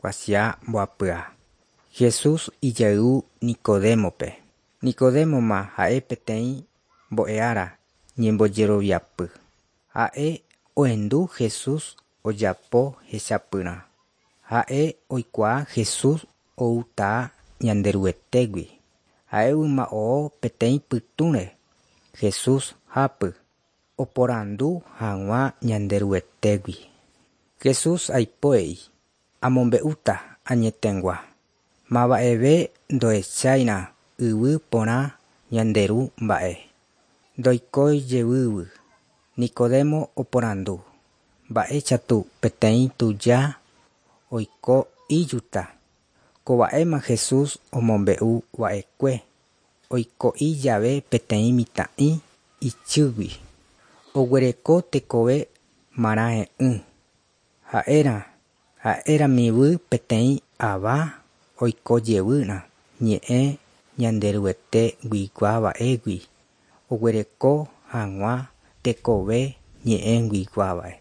Kuatia mbohapyha. Jesús ijayvu Nicodémope. Nicodémoma ha'e peteĩ mbo'ehára ñembojeroviapy. Ha'e ohendu Jesús ojapo hechapyrã. Ha'e oikuaa Jesús outaha Ñanderuetégui. Ha'e yma oho peteĩ pytũre Jesús hápy oporandu hag̃ua Ñanderuetégui. Jesús aipo he'i: Amombe'úta añetegua. Mava'eve ndohecháirã yvy porã ñande Ru mba'e. Ndoikói jevývy. Nicodemo oporandu: Mba'éichatu peteĩ tuja oiko ijuta. Kova'éma Jesús omombe'u va'ekue oiko'i jave peteĩ mitã'i ichýgui. Oguereko tekove marãe'ỹ. Ha'érã ha'eramívy peteĩ ava oiko jevýrã ñe'ẽ Ñanderuete guiguava'égui oguereko hag̃ua tekove ñe'ẽ guiguáva'e.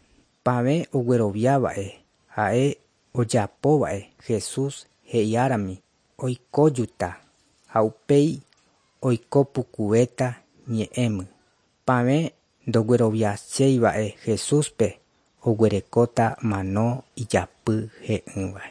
Pavẽ ogueroviáva'e ha'e ojapóva'e Jesús he'iárami oikójuta ha upéi oikopukuvéta ñe'ẽmy. Pavẽ ndogueroviaséiva'e Jesúspe oguerekóta mano ijapy he'ỹva.